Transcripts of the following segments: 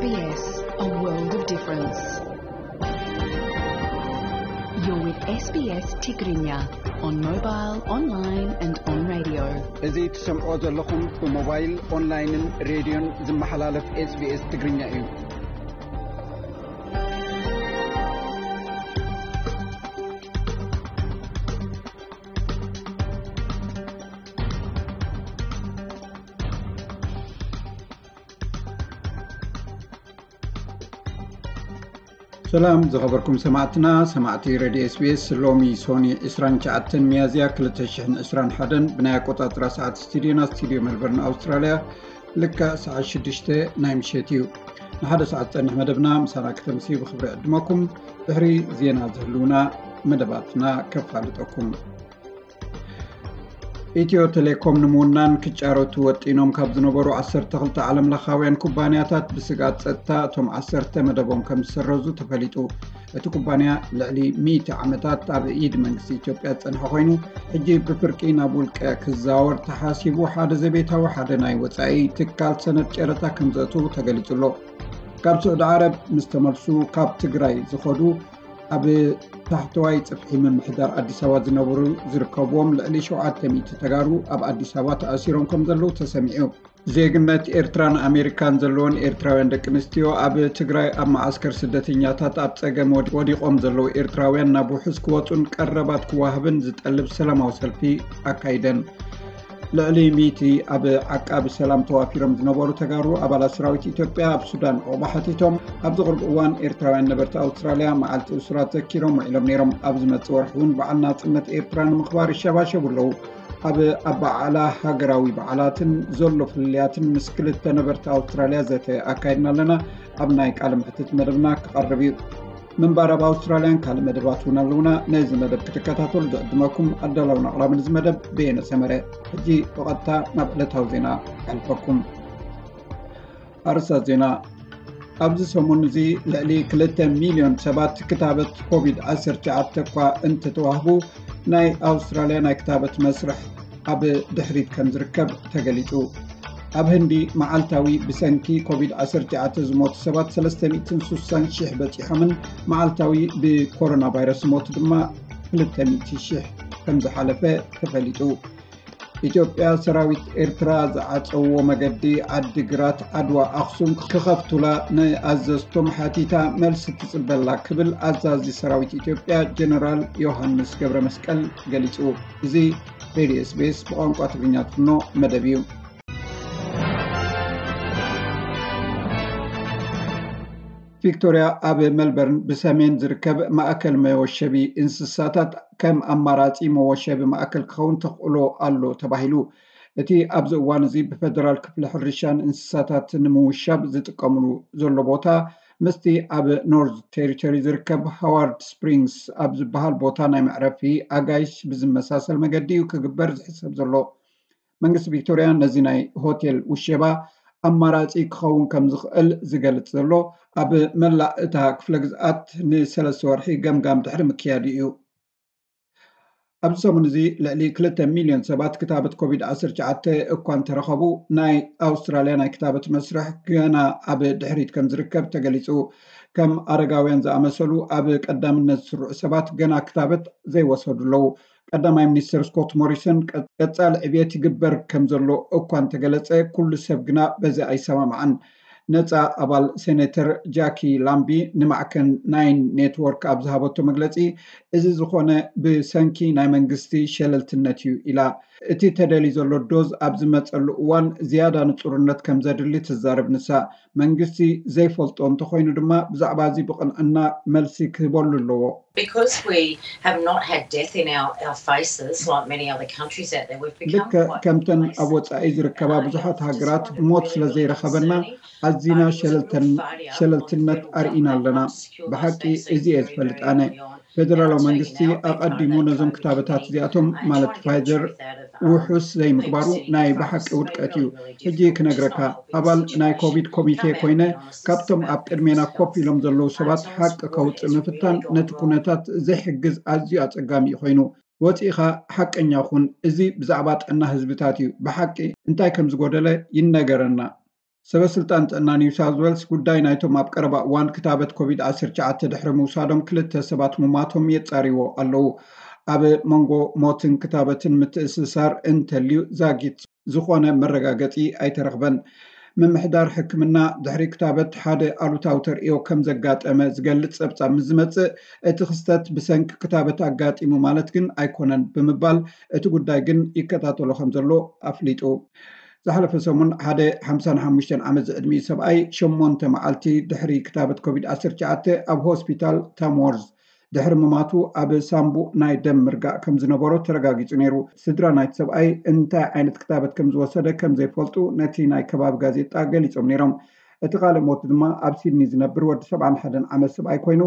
S B S, a world of difference. You're with S B S Tigrinya on mobile, online and on radio. እዚ ትሰምዖ ዘለኹም ብሞባይል፣ ኦንላይንን ሬድዮን ዝመሓላለፍ S B S ትግርኛ እዩ። ሰላም ዝኸበርኩም ሰማዕትና፣ ሰማዕቲ ሬድዮ S B S። ሎሚ ሶኒ ዕስራን ትሽዓተን ሚያዝያ ክልተ ሽሕን ዕስራን ሓደን ብናይ ኣቆጻጽራ ሰዓት ስቱዲዮና፣ ስቱዲዮ ሜልበርን ኣውስትራልያ፣ ልክዕ ሰዓት ሽዱሽተ ናይ ምሸት እዩ። ንሓደ ሰዓት ዝጸንሕ መደብና ምሳና ከተምሲ ብኽብሪ ዕድመኩም። ድሕሪ ዜና ዝህልውና መደባትና ከፋልጠኩም። ኢትዮ ቴሌኮም ንምውናን ክጫረቱ ወጢኖም ካብ ዝነበሩ ዓሰርተ ክልተ ዓለምለኻውያን ኩባንያታት ብስግኣት ጸጥታ እቶም ዓሰርተ መደቦም ከም ዝሰረዙ ተፈሊጡ። እቲ ኩባንያ ልዕሊ ሚእቲ ዓመታት ኣብ ኢድ መንግስቲ ኢትዮጵያ ዝጸንሐ ኮይኑ፣ ሕጂ ብፍርቂ ናብ ውልቀ ክዛወር ተሓሲቡ፣ ሓደ ዘቤታዊ ሓደ ናይ ወጻኢ ትካል ሰነድ ጨረታ ከም ዘእትዉ ተገሊጹ ኣሎ። ካብ ስዑዲ ዓረብ ምስ ተመልሱ ካብ ትግራይ ዝኸዱ ኣብ ታሕተዋይ ጽፍሒ ምምሕዳር ኣዲስ ኣበባ ዝነብሩ ዝርከብዎም ልዕሊ ሸውዓተ ሚእቲ ተጋሩ ኣብ ኣዲስ ኣበባ ተኣሲሮም ከም ዘለዉ ተሰሚዑ። ዜግነት ኤርትራን ኣሜሪካን ዘለወን ኤርትራውያን ደቂ ኣንስትዮ ኣብ ትግራይ ኣብ መዓስከር ስደተኛታት ኣብ ጸገም ወድ-፣ ወዲቖም ዘለዉ ኤርትራውያን ናብ ውሑስ ክወጹን ቀረባት ክዋሃብን ዝጠልብ ሰላማዊ ሰልፊ ኣካይደን። ልዕሊ ሚእቲ ኣብ ዓቃቢ ሰላም ተዋፊሮም ዝነበሩ ተጋሩ ኣባላት ሰራዊት ኢትዮጵያ ኣብ ሱዳን ዑቕባ ሓቲቶም። ኣብዚ ቅርብ እዋን ኤርትራውያን ነበርቲ ኣውስትራልያ መዓልቲ እሱራት ዘኪሮም ውዒሎም ነይሮም። ኣብ ዝመጽእ ወርሒ እውን በዓል ናጽነት ኤርትራ ንምኽባር ይሸባሸቡ ኣለዉ። ኣብ ኣበዓዕላ ሃገራዊ በዓላትን ዘሎ ፍልልያትን ምስ ክልተ ነበርቲ ኣውስትራልያ ዘተ ኣካይድና ኣለና። ኣብ ናይ ቃለ መሕትት መደብና ክቐርብ እዩ። ምንባር ኣብ ኣውስትራልያን ካልእ መደባት እውን ኣለውና። ነዚ መደብ ክትከታተሉ ዝዕድመኩም ኣዳላውን ኣቕራብን እዚ መደብ በየነ ሰመረ። ሕጂ ብቐጥታ ናብ ዕለታዊ ዜና ኣሕልፈኩም። ኣርእስታት ዜና። ኣብዚ ሰሙን እዚ ልዕሊ ክልተ ሚልዮን ሰባት ክታበት ኮቪድ ዓሰርተ ትሽዓተ እኳ እንተተዋህቡ፣ ናይ ኣውስትራልያ ናይ ክታበት መስርሕ ኣብ ድሕሪት ከም ዝርከብ ተገሊጹ። ኣብ ህንዲ መዓልታዊ ብሰንኪ ኮቪድ ዓሰርተ ትሽዓተ ዝሞቱ ሰባት ሰለስተ ሚእትን ስሳን ሽሕ በጺሖምን መዓልታዊ ብኮሮና ቫይረስ ዝሞቱ ድማ ክልተ ሚእቲ ሽሕ ከም ዝሓለፈ ተፈሊጡ። ኢትዮጵያ፣ ሰራዊት ኤርትራ ዝዓጸዎ መገዲ ዓዲግራት፣ ዓድዋ፣ ኣኽሱም ክኸፍቱላ ንኣዘዝቶም ሓቲታ መልሲ ትጽበላ ክብል ኣዛዚ ሰራዊት ኢትዮጵያ ጀነራል ዮሃንስ ገብረ መስቀል ገሊጹ። እዚ ሬድዮ S B S ብቋንቋ ትግርኛ ትፍኖ መደብ እዩ። ቪክቶርያ ኣብ ሜልበርን ብሰሜን ዝርከብ ማእከል መወሸቢ እንስሳታት ከም ኣማራጺ መወሸቢ ማእከል ክኸውን ተኽእሎ ኣሎ ተባሂሉ። እቲ ኣብዚ እዋን እዚ ብፈደራል ክፍሊ ሕርሻን እንስሳታት ንምውሻብ ዝጥቀምሉ ዘሎ ቦታ ምስቲ ኣብ ኖርዝ ቴሪቶሪ ዝርከብ ሃዋርድ ስፕሪንግስ ኣብ ዝበሃል ቦታ ናይ መዕረፊ ኣጋይሽ ብዝመሳሰል መገዲ እዩ ክግበር ዝሕሰብ ዘሎ። መንግስቲ ቪክቶርያ ነዚ ናይ ሆቴል ውሸባ ኣማራጺ ክኸውን ከም ዝኽእል ዝገልጽ ዘሎ፣ ኣብ መላእ እታ ክፍለ ግዝኣት ንሰለስተ ወርሒ ገምጋም ድሕሪ ምክያዱ እዩ። ኣብዚ ሰሙን እዚ ልዕሊ ክልተ ሚልዮን ሰባት ክታበት ኮቪድ ዓሰርተ ትሽዓተ እኳ እንተረኸቡ፣ ናይ ኣውስትራልያ ናይ ክታበት መስርሕ ገና ኣብ ድሕሪት ከም ዝርከብ ተገሊጹ። ከም ኣረጋውያን ዝኣመሰሉ ኣብ ቀዳምነት ዝስርዑ ሰባት ገና ክታበት ዘይወሰዱ ኣለዉ። ቀዳማይ ሚኒስትር ስኮት ሞሪሰን ቀ-፣ ቀጻሊ ዕብየት ይግበር ከም ዘሎ እኳ እንተገለጸ፣ ኩሉ ሰብ ግና በዚ ኣይሰማማዕን። ነጻ ኣባል ሴኔተር ጃኪ ላምቢ ንማዕከን ናይን ኔትወርክ ኣብ ዝሃበቶ መግለጺ፣ እዚ ዝኾነ ብሰንኪ ናይ መንግስቲ ሸለልትነት እዩ ኢላ። እቲ ተደልዩ ዘሎ ዶዝ ኣብ ዝመጸሉ እዋን ዝያዳ ንጹርነት ከም ዘድሊ ትዛረብ ንሳ። መንግስቲ ዘይፈልጦ እንተኾይኑ ድማ ብዛዕባ እዚ ብቕንዕና መልሲ ክህበሉ ኣለዎ። Because we have not had death in our, our faces like many other countries out there, we've become ልክዕ quite ከምተን ኣብ complacent. ወጻኢ ዝርከባ ብዙሓት ሃገራት ሞት ስለ ዘይረኸበና ኣዚና ሸለልተን-፣ ሸለልትነት ኣርኢና ኣለና። ብሓቂ እዚ እየ ዝፈልጥ ኣነ። ፌደራላዊ መንግስቲ ኣቐዲሙ ነዞም ክታበታት እዚኣቶም፣ ማለት ፋይዘር፣ ውሑስ ዘይምግባሩ ናይ ብሓቂ ውድቀት እዩ። ሕጂ ክነግረካ፣ ኣባል ናይ ኮቪድ ኮሚቴ ኮይነ፣ ካብቶም ኣብ ቅድሜና ኮፍ ኢሎም ዘለዉ ሰባት ሓቂ ከውጽእ ምፍታን ነቲ ኩነታት ዘይሕግዝ ኣዝዩ ኣጸጋሚ እዩ ኮይኑ። ወጺእኻ ሓቀኛ ኩን። እዚ ብዛዕባ ጥዕና ህዝብታት እዩ። ብሓቂ እንታይ ከም ዝጎደለ ይነገረና። ሰበ ስልጣን ጥዕና ኒው ሳውዝ ዌልስ ጉዳይ ናይቶም ኣብ ቀረባ እዋን ክታበት ኮቪድ ዓሰርተ ትሽዓተ ድሕሪ ምውሳዶም ክልተ ሰባት ምማቶም የጻርዎ ኣለዉ። ኣብ መንጎ ሞትን ክታበትን ምትእስሳር እንተልዩ ዛጊት ዝኾነ መረጋገጺ ኣይተረኽበን። ምምሕዳር ሕክምና ድሕሪ ክታበት ሓደ ኣሉታዊ ተርእዮ ከም ዘጋጠመ ዝገልጽ ጸብጻብ ምስ ዝመጽእ፣ እቲ ክስተት ብሰንኪ ክታበት ኣጋጢሙ ማለት ግን ኣይኮነን ብምባል፣ እቲ ጉዳይ ግን ይከታተሎ ከም ዘሎ ኣፍሊጡ። ዝሓለፈ ሰሙን ሓደ ሓምሳን ሓሙሽተን ዓመት ዝዕድሚኡ ሰብኣይ ሸሞንተ መዓልቲ ድሕሪ ክታበት ኮቪድ ዓሰርተ ትሽዓተ ኣብ ሆስፒታል ታምወርዝ ድሕሪ ምማቱ ኣብ ሳምቡእ ናይ ደም ምርጋእ ከም ዝነበሮ ተረጋጊጹ ነይሩ። ስድራ ናይቲ ሰብኣይ እንታይ ዓይነት ክታበት ከም ዝወሰደ ከም ዘይፈልጡ ነቲ ናይ ከባቢ ጋዜጣ ገሊጾም ነይሮም። እቲ ካልእ ሞት ድማ ኣብ ሲድኒ ዝነብር ወዲ ሰብዓን ሓደን ዓመት ሰብኣይ ኮይኑ፣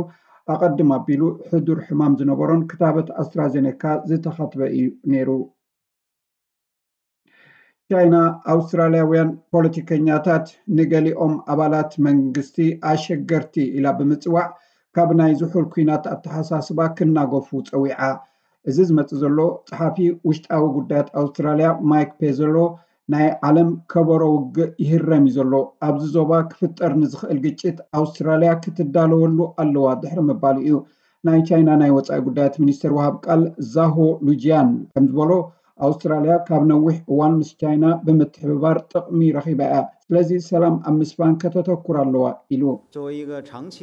ኣቐድም ኣቢሉ ሕዱር ሕማም ዝነበሮን ክታበት ኣስትራዜኔካ ዝተኸትበ እዩ ነይሩ። ቻይና ኣውስትራልያውያን ፖለቲከኛታት ንገሊኦም ኣባላት መንግስቲ ኣሸገርቲ ኢላ ብምጽዋዕ ካብ ናይ ዝሑል ኲናት ኣተሓሳስባ ክናገፉ ጸዊዓ። እዚ ዝመጽእ ዘሎ ጸሓፊ ውሽጣዊ ጉዳያት ኣውስትራልያ ማይክ ፔዘሎ ናይ ዓለም ከበሮ ውግእ ይህረም እዩ ዘሎ፣ ኣብዚ ዞባ ክፍጠር ንዝኽእል ግጭት ኣውስትራልያ ክትዳለወሉ ኣለዋ ድሕሪ ምባሉ እዩ። ናይ ቻይና ናይ ወጻኢ ጉዳያት ሚኒስትር ወሃብ ቃል ዛሆ ሉጂያን ከም ዝበሎ፣ ኣውስትራልያ ካብ ነዊሕ እዋን ምስ ቻይና ብምትሕብባር ጥቕሚ ረኺባ እያ። ስለዚ ሰላም ኣብ ምስፋን ከተተኩር ኣለዋ ኢሉ። 作为一个长期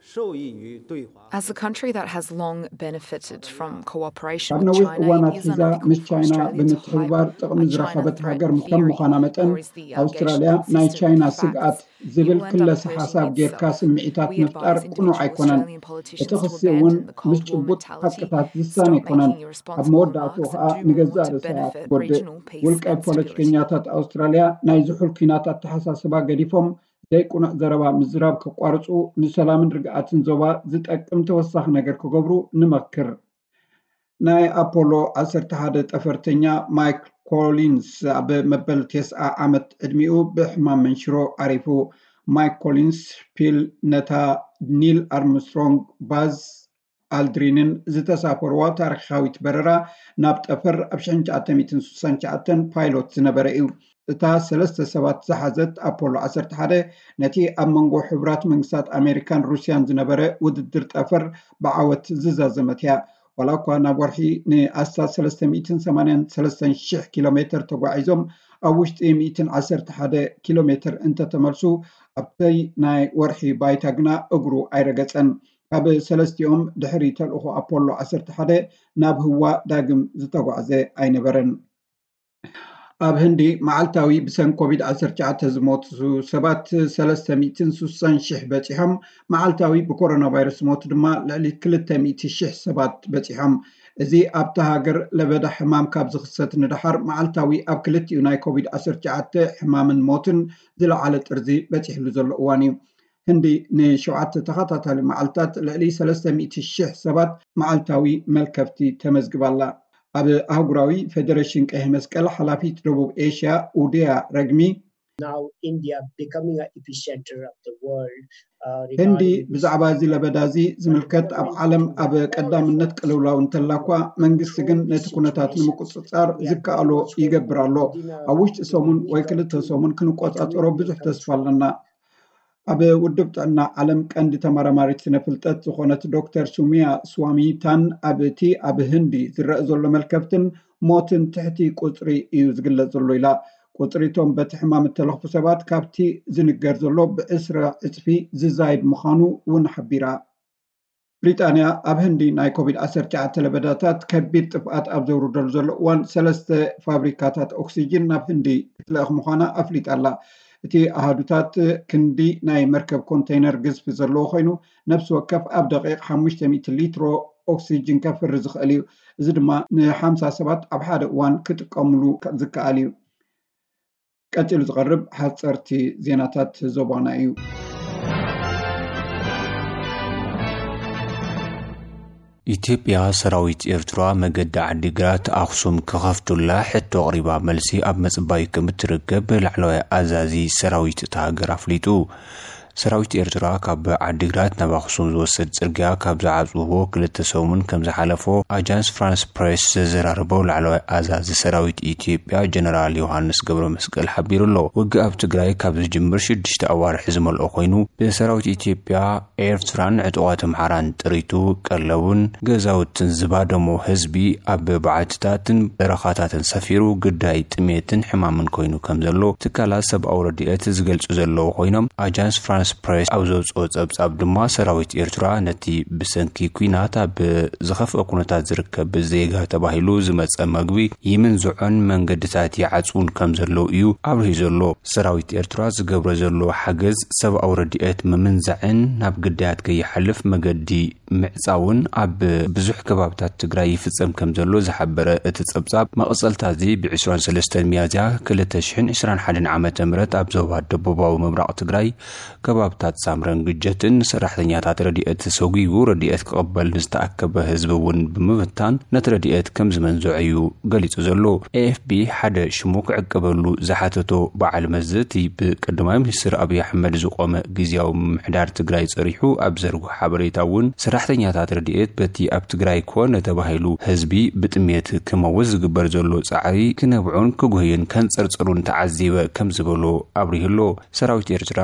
受益于对华 As a country that has long benefited from cooperation ካብ with ነዊሕ China, እዋን it is ኣትሒዛ unethical ምስ for ቻይና Australia to ብምትሕብባር highlight ጥቕሚ a China ዝረኸበት threat ሃገር ከም theory ምዃና መጠን፣ or is the ኣውስትራልያ allegation ናይ consistent ቻይና with the ስግኣት facts. ዝብል You end ክለ up ሓሳብ hurting ጌርካ these facts. ስምዒታት We ምፍጣር advise ቅኑዕ individual ኣይኮነን። Australian እቲ politicians to ክሲ እውን abandon the ምስ Cold War ጭቡጥ mentality. ሓቅታት ዝሳነ Stop ኣይኮነን። making ኣብ irresponsible መወዳእትኡ remarks ከዓ and do more ንገዛእ to ርእሳ እያ benefit ትጎድእ። regional pace ውልቀ and security. ፖለቲከኛታት ኣውስትራልያ ናይ ዝሑል ኲናት ኣተሓሳስባ ገዲፎም ዘይቅኑዕ ዘረባ ምዝራብ ከቋርፁ፣ ንሰላምን ርግኣትን ዞባ ዝጠቅም ተወሳኺ ነገር ክገብሩ ንመክር። ናይ ኣፖሎ ዓሰርተ ሓደ ጠፈርተኛ ማይክ ኮሊንስ ኣብ መበል ተስዓ ዓመት ዕድሚኡ ብሕማም መንሽሮ ዓሪፉ። ማይክ ኮሊንስ ፒል ነታ ኒል ኣርምስትሮንግ ባዝ ኣልድሪንን ዝተሳፈርዋ ታሪኻዊት በረራ ናብ ጠፈር ኣብ ሽሕን ትሽዓተ ሚእትን ስሳን ትሽዓተን ፓይሎት ዝነበረ እዩ። እታ ሰለስተ ሰባት ዝሓዘት ኣፖሎ ዓሰርተ ሓደ ነቲ ኣብ መንጎ ሕቡራት መንግስታት ኣሜሪካን ሩስያን ዝነበረ ውድድር ጠፈር ብዓወት ዝዛዘመት እያ። ዋላ እኳ ናብ ወርሒ ንኣስታት ሰለስተ ሚእትን ሰማንያን ሰለስተን ሽሕ ኪሎ ሜተር ተጓዒዞም ኣብ ውሽጢ ሚእትን ዓሰርተ ሓደ ኪሎ ሜተር እንተተመልሱ፣ ኣብቲ ናይ ወርሒ ባይታ ግና እግሩ ኣይረገጸን። ካብ ሰለስቲኦም ድሕሪ ተልእኾ ኣፖሎ ዓሰርተ ሓደ ናብ ህዋ ዳግም ዝተጓዕዘ ኣይነበረን። ኣብ ህንዲ መዓልታዊ ብሰንኪ ኮቪድ ዓሰርተ ትሽዓተ ዝሞቱ ሰባት ሰለስተ ሚእትን ስሳን ሽሕ በጺሖም፣ መዓልታዊ ብኮሮና ቫይረስ ዝሞቱ ድማ ልዕሊ ክልተ ሚእቲ ሽሕ ሰባት በጺሖም። እዚ ኣብታ ሃገር ለበዳ ሕማም ካብ ዝኽሰት ንደሓር መዓልታዊ ኣብ ክልቲኡ ናይ ኮቪድ ዓሰርተ ትሽዓተ ሕማምን ሞትን ዝለዓለ ጥርዚ በጺሕሉ ዘሎ እዋን እዩ። ህንዲ ንሸውዓተ ተኸታታሊ መዓልታት ልዕሊ ሰለስተ ሚእቲ ሽሕ ሰባት መዓልታዊ መልከፍቲ ተመዝግባ ኣላ። ኣብ ኣህጉራዊ ፌደሬሽን ቀይሕ መስቀል ሓላፊት ደቡብ ኤሽያ ኡድያ ረግሚ፣ Now India becoming an epicenter of the world. Uh, ህንዲ regarding this ብዛዕባ እዚ ለበዳ እዚ ዝምልከት ኣብ ዓለም ኣብ ቀዳምነት ቅልውላው እንተላ እኳ፣ መንግስቲ ግን ነቲ ኩነታት ንምቁጽጻር ዝከኣሎ ይገብር ኣሎ። ኣብ ውሽጢ ሰሙን ወይ ክልተ ሰሙን ክንቆጻጸሮ ብዙሕ ተስፋ ኣለና። ኣብ ውድብ ጥዕና ዓለም ቀንዲ ተመራማሪት ስነ ፍልጠት ዝኾነት ዶክተር ሱሚያ ስዋሚታን፣ ኣብ እቲ ኣብ ህንዲ ዝረአ ዘሎ መልከፍትን ሞትን ትሕቲ ቁጽሪ እዩ ዝግለጽ ዘሎ ኢላ። ቁጽሪ እቶም በቲ ሕማም እተለኽፉ ሰባት ካብቲ ዝንገር ዘሎ ብዕስራ ዕጽፊ ዝዛይድ ምዃኑ እውን ሓቢራ። ብሪጣንያ ኣብ ህንዲ ናይ ኮቪድ ዓሰርተ ትሽዓተ ለበዳታት ከቢድ ጥፍኣት ኣብ ዘውርደሉ ዘሎ እዋን፣ ሰለስተ ፋብሪካታት ኦክሲጅን ናብ ህንዲ ክትልእኽ ምዃና ኣፍሊጣ ኣላ። እቲ ኣሃዱታት ክንዲ ናይ መርከብ ኮንተይነር ግዝፊ ዘለዎ ኮይኑ፣ ነፍሲ ወከፍ ኣብ ደቂቕ ሓሙሽተ ሚእቲ ሊትሮ ኦክሲጅን ከፍሪ ዝኽእል እዩ። እዚ ድማ ንሓምሳ ሰባት ኣብ ሓደ እዋን ክጥቀምሉ ዝከኣል እዩ። ቀጺሉ ዝቐርብ ሓጸርቲ ዜናታት ዞባና እዩ። ኢትዮጵያ ሰራዊት ኤርትራ መገዲ ዓዲግራት ኣኽሱም ክኸፍቱላ ሕቶ ኣቕሪባ መልሲ ኣብ ምጽባይ ከም እትርከብ ላዕለዋይ ኣዛዚ ሰራዊት እታ ሃገር ኣፍሊጡ። ሰራዊት ኤርትራ ካብ ዓዲግራት ናብ ኣኽሱም ዝወስድ ጽርግያ ካብ ዝዓጽዎ ክልተ ሰሙን ከም ዝሓለፎ ኣጃንስ ፍራንስ ፕሬስ ዘዘራረበው ላዕለዋይ ኣዛዚ ሰራዊት ኢትዮጵያ ጀነራል ዮሃንስ ገብረ መስቀል ሓቢሩ ኣሎ። ውግእ ኣብ ትግራይ ካብ ዝጅምር ሽዱሽተ ኣዋርሕ ዝመልኦ ኮይኑ፣ ብሰራዊት ኢትዮጵያ፣ ኤርትራን ዕጡቓት ኣምሓራን ጥሪቱ፣ ቀለቡን ገዛውትን ዝባደሞ ህዝቢ ኣብ በዓትታትን በረኻታትን ሰፊሩ፣ ግዳይ ጥሜትን ሕማምን ኮይኑ ከም ዘሎ ትካላት ሰብኣዊ ረድኤት ዝገልጹ ዘለዉ ኮይኖም፣ ኣጃንስ ፍራንስ ፕሬስ ኣብ ዘውጽኦ ጸብጻብ ድማ፣ ሰራዊት ኤርትራ ነቲ ብሰንኪ ኲናት ኣብ ዝኸፍአ ኩነታት ዝርከብ ዜጋ ተባሂሉ ዝመጸ መግቢ ይምንዝዖን መንገድታት ይዓጽውን ከም ዘለዉ እዩ ኣብሪሁ ዘሎ። ሰራዊት ኤርትራ ዝገብሮ ዘሎ ሓገዝ ሰብኣዊ ረድኤት ምምንዛዕን ናብ ግዳያት ከይሓልፍ መገዲ ምዕጻውን ኣብ ብዙሕ ከባብታት ትግራይ ይፍጸም ከም ዘሎ ዝሓበረ እቲ ጸብጻብ፣ መቐጸልታ እዚ ብ ዕስራን ሰለስተን ሚያዝያ ክልተ ሽሕን ዕስራን ሓደን ዓመተ ምህረት ኣብ ዞባ ደቡባዊ ምብራቕ ትግራይ ከባብታት ሳምረን ግጀትን ሰራሕተኛታት ረድኤት ተሰጒጉ ረድኤት ክቕበል ንዝተኣከበ ህዝቢ እውን ብምብታን ነቲ ረድኤት ከም ዝመንዝዖ እዩ ገሊጹ ዘሎ። ኤ ኤፍ ቢ ሓደ ሽሙ ክዕቀበሉ ዝሓተቶ በዓል መዚ፣ እቲ ብቀዳማይ ሚኒስትር ኣብይ ኣሕመድ ዝቖመ ግዝያዊ ምምሕዳር ትግራይ ጸሪሑ ኣብ ዘርግሖ ሓበሬታ እውን፣ ሰራሕተኛታት ረድኤት በቲ ኣብ ትግራይ ኮነ ተባሂሉ ህዝቢ ብጥሜት ክመውት ዝግበር ዘሎ ጻዕሪ ክነብዑን ክጉህዩን ከንጸርጽሩን ተዓዚበ ከም ዝበሎ ኣብሪሁ ኣሎ። ሰራዊት ኤርትራ፣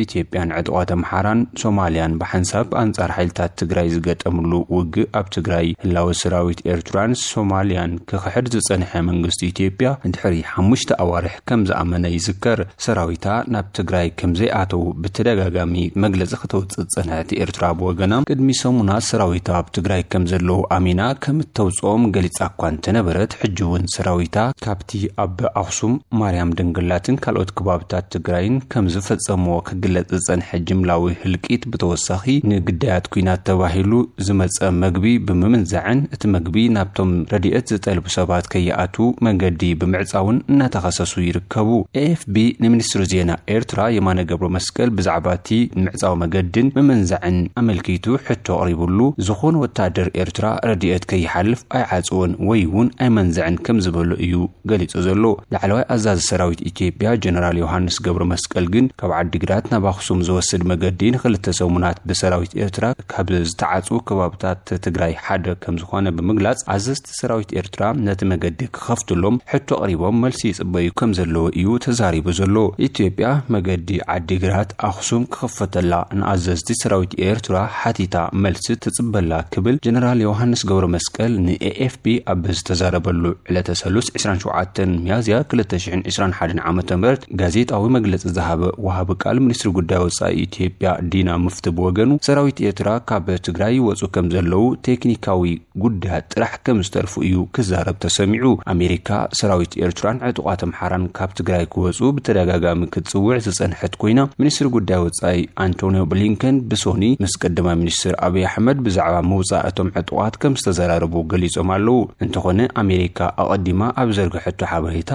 ኢትዮጵያን ዕጡቓት ኣምሓራን ሶማልያን ብሓንሳብ ኣንጻር ሓይልታት ትግራይ ዝገጠምሉ ውግእ፣ ኣብ ትግራይ ህላወ ሰራዊት ኤርትራን ሶማልያን ክኽሕድ ዝጸንሐ መንግስቲ ኢትዮጵያ፣ ድሕሪ ሓሙሽተ ኣዋርሕ ከም ዝኣመነ ይዝከር። ሰራዊታ ናብ ትግራይ ከም ዘይኣተው ብተደጋጋሚ መግለጺ ከተውጽእ ዝጸንሐት ኤርትራ ብወገና፣ ቅድሚ ሰሙናት ሰራዊታ ኣብ ትግራይ ከም ዘለዉ ኣሚና ከም እተውጽኦም ገሊጻ እኳ እንተነበረት፣ ሕጂ እውን ሰራዊታ ካብቲ ኣብ ኣኽሱም፣ ማርያም ድንግላትን ካልኦት ከባብታት ትግራይን ከም ዝፈጸምዎ ክግለጽ ዝጸንሐ ጅምላዊ ህልቂት ብተወሳኺ፣ ንግዳያት ኲናት ተባሂሉ ዝመጸ መግቢ ብምምንዛዕን፣ እቲ መግቢ ናብቶም ረድኤት ዝጠልቡ ሰባት ከይኣቱ መገዲ ብምዕጻውን እናተኸሰሱ ይርከቡ። ኤ ኤፍ ቢ ንሚኒስትሪ ዜና ኤርትራ የማነ ገብረ መስቀል ብዛዕባ እቲ ምዕጻው መገድን ምምንዛዕን ኣመልኪቱ ሕቶ ኣቕሪቡሉ፣ ዝኾነ ወታደር ኤርትራ ረድኤት ከይሓልፍ ኣይዓጽዎን ወይ እውን ኣይመንዝዕን ከም ዝበሎ እዩ ገሊጹ ዘሎ። ላዕለዋይ ኣዛዚ ሰራዊት ኢትዮጵያ ጀነራል ዮሃንስ ገብረ መስቀል ግን፣ ካብ ዓዲግራት ናብ ኣኽሱም ዝወስድ መገዲ ንክልተ ሰሙናት ብሰራዊት ኤርትራ ካብ ዝተዓጽዉ ከባብታት ትግራይ ሓደ ከም ዝኾነ ብምግላጽ፣ ኣዘዝቲ ሰራዊት ኤርትራ ነቲ መገዲ ክኸፍትሎም ሕቶ ኣቕሪቦም መልሲ ይጽበዩ ከም ዘለዉ እዩ ተዛሪቡ ዘሎ። ኢትዮጵያ መገዲ ዓዲግራት ኣኽሱም ክኸፈተላ ንኣዘዝቲ ሰራዊት ኤርትራ ሓቲታ፣ መልሲ ትጽበላ ክብል ጀነራል ዮሃንስ ገብረ መስቀል ን ኤ ኤፍ ቢ ኣብ ዝተዛረበሉ ዕለተ ሰሉስ ዕስራን ሸውዓተን ሚያዝያ ክልተ ሽሕን ዕስራን ሓደን ዓመተ ምህረት ጋዜጣዊ መግለጺ ዝሃበ ወሃቢ ቃል ሚኒስትሪ ጉዳይ ወጻኢ ኢትዮጵያ ዲና ሙፍቲ ብወገኑ፣ ሰራዊት ኤርትራ ካብ ትግራይ ይወጹ ከም ዘለዉ ቴክኒካዊ ጉዳያት ጥራሕ ከም ዝተርፉ እዩ ክዛረብ ተሰሚዑ። ኣሜሪካ ሰራዊት ኤርትራን ዕጡቓት ኣምሓራን ካብ ትግራይ ክወጹ ብተደጋጋሚ ክትጽውዕ ዝጸንሐት ኮይና፣ ሚኒስትሪ ጉዳይ ወጻኢ ኣንቶኒዮ ብሊንከን ብሶኒ ምስ ቀዳማይ ሚኒስትር ኣብይ ኣሕመድ ብዛዕባ ምውጻእ እቶም ዕጡቓት ከም ዝተዘራረቡ ገሊጾም ኣለዉ። እንተኾነ፣ ኣሜሪካ ኣቐዲማ ኣብ ዘርግሐቶ ሓበሬታ፣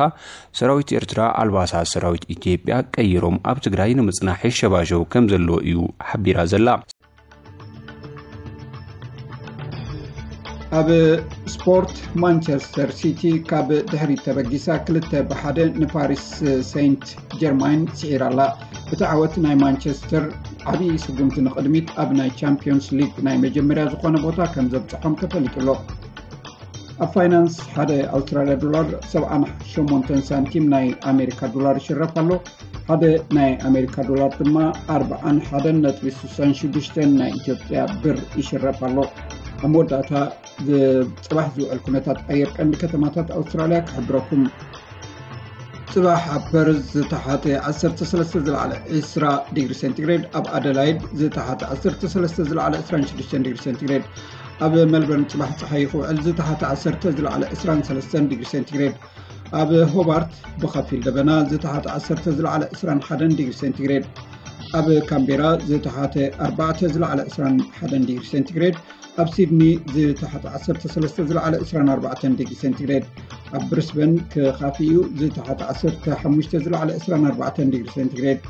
ሰራዊት ኤርትራ ኣልባሳት ሰራዊት ኢትዮጵያ ቀይሮም ኣብ ትግራይ ንምጽናሕ ይሸባሸቡ ከም ዘለዎ እዩ ሓቢራ ዘላ። ኣብ ስፖርት፣ ማንቸስተር ሲቲ ካብ ድሕሪት ተበጊሳ ክልተ ብሓደ ንፓሪስ ሴንት ጀርማይን ስዒራ ኣላ። እቲ ዓወት ናይ ማንቸስተር ዓብዪ ስጉምቲ ንቕድሚት ኣብ ናይ ቻምፒዮንስ ሊግ ናይ መጀመርያ ዝኾነ ቦታ ከም ዘብጽሖም ተፈሊጡ ኣሎ። ኣብ ፋይናንስ፣ ሓደ ኣውስትራልያ ዶላር ሰብዓን ሸሞንተን ሳንቲም ናይ ኣሜሪካ ዶላር ይሽረፍ ኣሎ። ሓደ ናይ ኣሜሪካ ዶላር ድማ ኣርብዓን ሓደን ነጥቢ ስሳን ሽዱሽተን ናይ ኢትዮጵያ ብር ይሽረፍ ኣሎ። ኣብ መወዳእታ፣ ዝ-፣ ጽባሕ ዝውዕል ኩነታት ኣየር ቀንዲ ከተማታት ኣውስትራልያ ክሕብረኩም። ጽባሕ ኣብ ፐርዝ ዝተሓተ ዓሰርተ ሰለስተ ዝለዓለ ዕስራ ዲግሪ ሴንቲግሬድ፣ ኣብ ኣደላይድ ዝተሓተ ዓሰርተ ሰለስተ ዝለዓለ ዕስራን ሽዱሽተን ዲግሪ ሴንቲግሬድ፣ ኣብ ሜልበርን ጽባሕ ጸሓይ ክውዕል ዝተሓተ ዓሰርተ ዝለዓለ ዕስራን ሰለስተን ዲግሪ ሴንቲግሬድ፣ ኣብ ሆባርት ብኸፊል ደበና ዝተሓተ ዓሰርተ ዝለዓለ ዕስራን ሓደን ዲግሪ ሴንቲግሬድ፣ ኣብ ካምቤራ ዝተሓተ ኣርባዕተ ዝለዓለ ዕስራን ሓደን ዲግሪ ሴንቲግሬድ፣ ኣብ ሲድኒ ዝተሓተ ዓሰርተ ሰለስተ ዝለዓለ ዕስራን ኣርባዕተን ዲግሪ ሴንቲግሬድ፣ ኣብ ብሪስበን ክኻፊ እዩ ዝተሓተ ዓሰርተ ሓሙሽተ ዝለዓለ ዕስራን ኣርባዕተን ዲግሪ ሴንቲግሬድ፣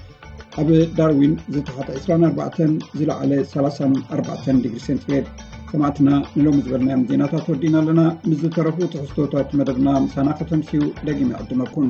ኣብ ዳርዊን ዝተሓተ ዕስራን ኣርባዕተን ዝለዓለ ሰላሳን ኣርባዕተን ዲግሪ ሴንቲግሬድ። ሰማዕትና፣ ንሎሚ ዝበልናዮም ዜናታት ወዲእና ኣለና። ምስ ዝተረፉ ትሕዝቶታት መደብና ምሳና ከተምስዩ ደጊመ ይዕድመኩም።